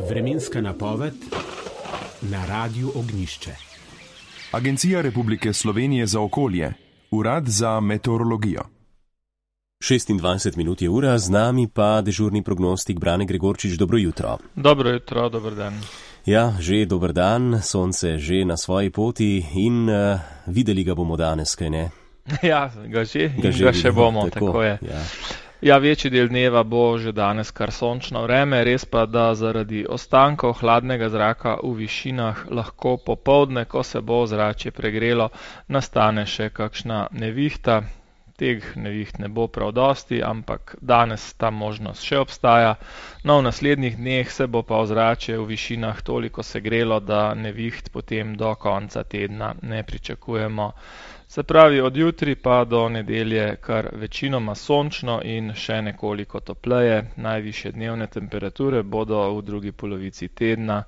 Vremenska napoved na Radiu Ognjišče. Agencija Republike Slovenije za okolje, Urad za meteorologijo. 26 minut je ura, z nami pa dežurni prognostik Brane Gregorčič. Dobro jutro. Dobro jutro, dober dan. Ja, že dober dan, sonce že na svoji poti in videli ga bomo danes, kaj ne? Ja, ga še bomo, tako je. Ja, večji del dneva bo že danes kar sončno vreme, res pa, da zaradi ostankov hladnega zraka v višinah lahko popoldne, ko se bo ozračje pregrelo, nastane še kakšna nevihta. Teh neviht ne bo prav dosti, ampak danes ta možnost še obstaja. No, v naslednjih dneh se bo pa ozračje v višinah toliko segrelo, da neviht potem do konca tedna ne pričakujemo. Se pravi, od jutri pa do nedelje kar večinoma sončno in še nekoliko topleje. Najvišje dnevne temperature bodo v drugi polovici tedna,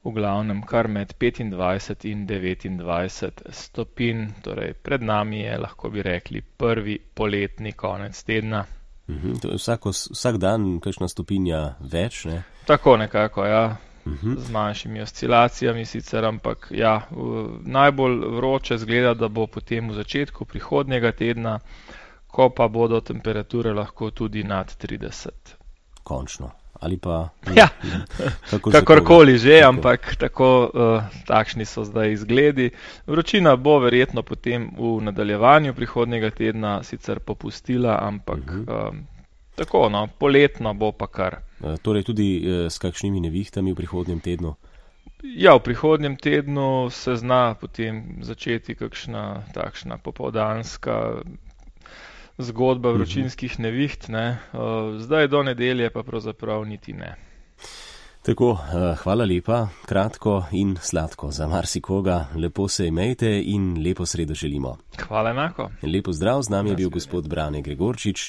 v glavnem kar med 25 in 29 stopinj. Torej, pred nami je, lahko bi rekli, prvi poletni konec tedna. To je vsak dan kakšna stopinja več, ne? Tako nekako, ja. Z manjšimi oscilacijami sicer, ampak ja, najbolj vroče zgleda, da bo potem v začetku prihodnjega tedna, ko pa bodo temperature lahko tudi nad 30. Končno. Ali pa... Ja, kakorkoli že, ampak takšni so zdaj izgledi. Vročina bo verjetno potem v nadaljevanju prihodnjega tedna sicer popustila, ampak tako, no, poletno bo pa kar. Torej tudi s kakšnimi nevihtami v prihodnjem tednu? Ja, v prihodnjem tednu se zna potem začeti kakšna takšna popoldanska zgodba vročinskih neviht, ne. Zdaj do nedelje pa pravzaprav niti ne. Tako, hvala lepa, kratko in sladko za marsikoga. Lepo se imejte in lepo sredo želimo. Hvala enako. Lepo zdrav, z nami je bil gospod Brane Gregorčič.